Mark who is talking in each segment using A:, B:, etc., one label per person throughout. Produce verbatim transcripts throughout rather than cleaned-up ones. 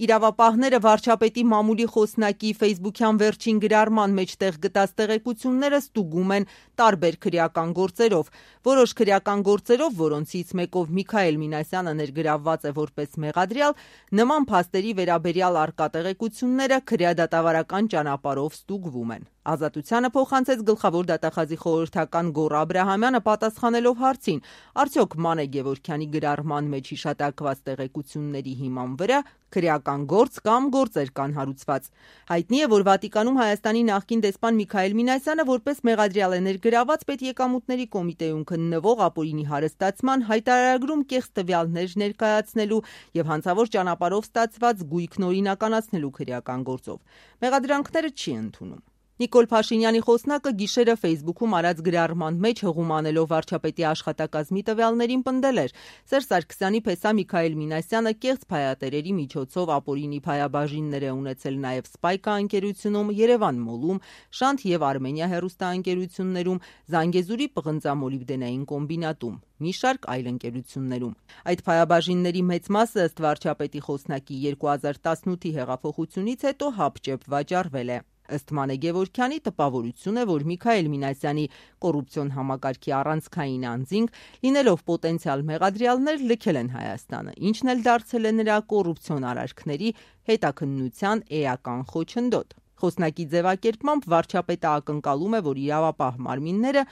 A: Իրավապահները վարչապետի մամուլի խոսնակի ֆեյսբուքյան վերջին գրառման մեջ տեղ գտած տեղեկությունները ստուգում են տարբեր քրեական գործերով։ Որոշ քրեական գործերով, որոնցից մեկով Միքայել Մինասյանը ներգրավված է որպես մեղադրյալ, նման փաստերի վերաբերյալ առկա տեղեկությունները քրեադատավարական ճանապարհով ստուգվում են։ Ազատությանը փոխանցեց գլխավոր դատախազի խորհրդական Գոռ Աբրահամյանը պատասխանելով հարցին, արդյոք Մանե Գևորգյանի գրառման մեջ հիշատակված տեղեկությունների հիման վրա քրեական գործ կամ գործեր կան հարուցված։ Հայտնի է, որ Վատիկանում Հայաստանի նախկին դեսպան Միքայել Մինասյանը որպես մեղադրյալ է ներգրաված Պետեկամուտների կոմիտեում քննվող ապօրինի հարստացման հայտարարագրում կեղծ տվյալներ ներկայացնելու եւ հանցավոր ճանապարհով ստացված գույքն օրինականացնելու քրեական գործով։ Մեղադրանքները չի ընդունում։ Նիկոլ Փաշինյանի խոսնակը գիշերը ֆեյսբուքում արած գրառման մեջ հղում անելով վարչապետի աշխատակազմի տվյալներին պնդել էր. Սերժ Սարգսյանի փեսա Միքայել Մինասյանը կեղծ փայատերերի միջոցով ապօրինի փայաբաժիններ է ունեցել նաև Սպայկա ընկերությունում, Երևան Մոլում, Շանթ եւ Արմենիա հեռուստաընկերություններում, Զանգեզուրի պղնձամոլիբդենային կոմբինատում, մի շարք այլ ընկերություններում։ Այդ փայաբաժինների մեծ մասը ըստ վարչապետի խոսնակի երկու հազար տասնութի հեղափոխությունից հետո հապճեպ վաճառվել է։ Ըստ Մանե Գևորգյանի տպավորություն է, որ Միքայել Մինասյանի կոռուպցիոն համակարգի առանցքային անձինք, լինելով պոտենցիալ մեղադրյալներ, լքել են Հայաստանը, ինչն էլ դարձել է նրա կոռուպցիոն արարքների հետաքննության էական խոչընդոտ։ Խոսնակի ձևակերպմամբ վարչապետը ակնկալում է, որ իրավապահ մարմինները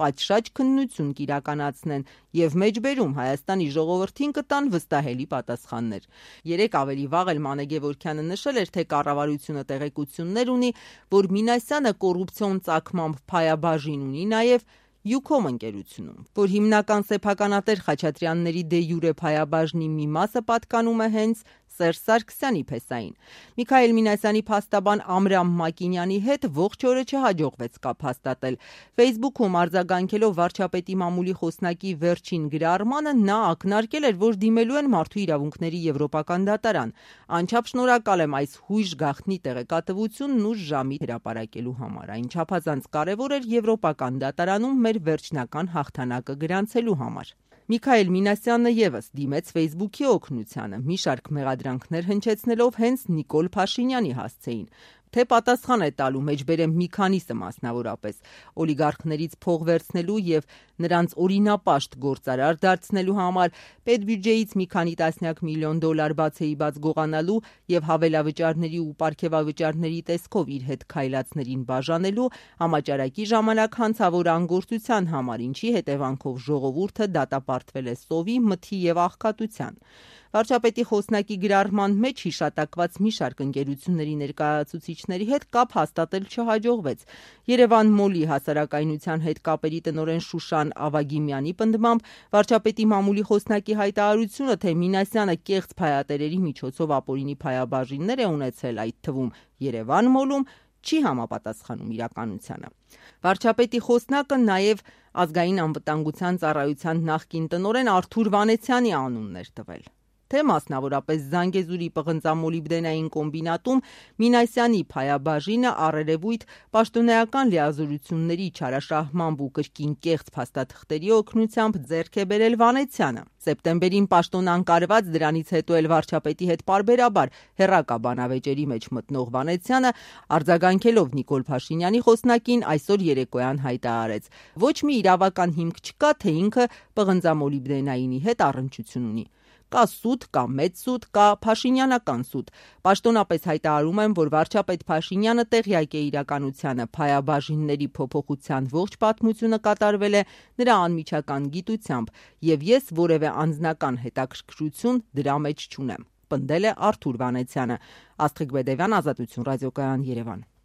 A: պատշաճ քննություն կիրականացնեն եւ մեջբերում Հայաստանի ժողովրդին կտան վստահելի պատասխաններ։ Երեկ ավելի վաղ էլ Մանե Գևորգյանը նշել էր, թե կառավարությունը տեղեկություններ ունի, որ Մինասյանը կոռուպցիոն ծագմամբ փայաբաժին ունի նաեւ Յուքոմ ընկերությունում, որ հիմնական սեփականատեր Խաչատրյանների դե յուրե փայաբաժնի մի մասը պատկանում է հենց Սերժ Սարգսյանի փեսային։ Միքայել Մինասյանի փաստաբան Ամրամ Մակինյանի հետ ողջ օրը չհաջողվեց կապ հաստատել։ Ֆեյսբուքում արձագանքելով վարչապետի մամուլի խոսնակի վերջին գրառմանը նա ակնարկել էր, որ դիմելու են Մարդու իրավունքների եվրոպական դատարան։ Անչափ շնորհակալ եմ այս հույժ գաղտնի տեղեկատվությունն ուշ ժամի հրապարակելու համար։ Այն չափազանց կարևոր էր եվրոպական դատարանում մեր վերջնական հաղթանակը գրանցելու համար։ Միքայել Մինասյանը եւս դիմեց ֆեյսբուքի օգնությանը, մի շարք մեղադրանքներ հնչեցնելով հենց Նիկոլ Փաշինյանի հասցեին, թե պատասխան է տալու, մեջբերեմ մի քանիսը մասնավորապես, օլիգարխներից փող վերցնելու եւ նրանց օրինապաշտ գործարար դարձնելու համար, պետբյուջեից մի քանի տասնյակ միլիոն դոլար բացեի բաց գողանալու եւ հավելավճարների ու պարգեւավճարների տեսքով իր հետ քայլածներին բաժանելու, համաճարակի ժամանակ հանցավոր անգործության համար, ինչի հետևանքով ժողովուրդը դատապարտվել է սովի, մթի եւ աղքատության։ Վարչապետի խոսնակի գրառման մեջ հիշատակված մի շարք ընկերությունների ներկայացուցիչների հետ կապ հաստատել չհաջողվեց։ Երևան Մոլի հասարակայնության հետ կապերի տնօրեն Շուշան Ավագիմյանի պնդմամբ վարչապետի մամուլի խոսնակի հայտարարությունը, թե Մինասյանը կեղծ փայատերերի միջոցով ապօրինի փայաբաժիններ է ունեցել, այդ թվում Երևան Մոլում, չի համապատասխանում իրականությանը։ Վարչապետի խոսնակը նաև ազգային անվտանգության ծառայության նախկին տնօրեն Արթուր Վանեցյանի անունն էր տվել, թե մասնավորապես Զանգեզուրի պղնձամոլիբդենային կոմբինատում Մինասյանի փայաբաժինը առերևույթ պաշտոնեական լիազորությունների չարաշահմամբ ու կրկին կեղծ փաստաթղթերի օգնությամբ ձեռք է բերել Վանեցյանը։ Սեպտեմբերին պաշտոն անկարված, դրանից հետո էլ վարչապետի հետ պարբերաբար հեռակա բանավեճերի մեջ մտնող Վանեցյանը արձագանքելով Նիկոլ Փաշինյանի խոսնակին այսօր երեկոյան հայտարարեց. ոչ մի իրավական հիմք չկա, թե ինքը պղնձամոլիբդենայինի հետ առնչություն ունի։ Կա սուտ, կա մեծ սուտ, կա Փաշինյանական սուտ։ Պաշտոնապես հայտարարում եմ, որ վարչապետ Փաշինյանը տեղյակ է իրականությանը, փայաբաժինների փոփոխության ողջ պատմությունը կատարվել է նրա անմիջական գիտությամբ, եւ ես որևէ անձնական հետաքրքրություն դրա մեջ չունեմ, պնդել է Արթուր Վանեցյանը։ Աստղիկ Բեդևյան, Ազատություն ռադիոկայան, Երևան։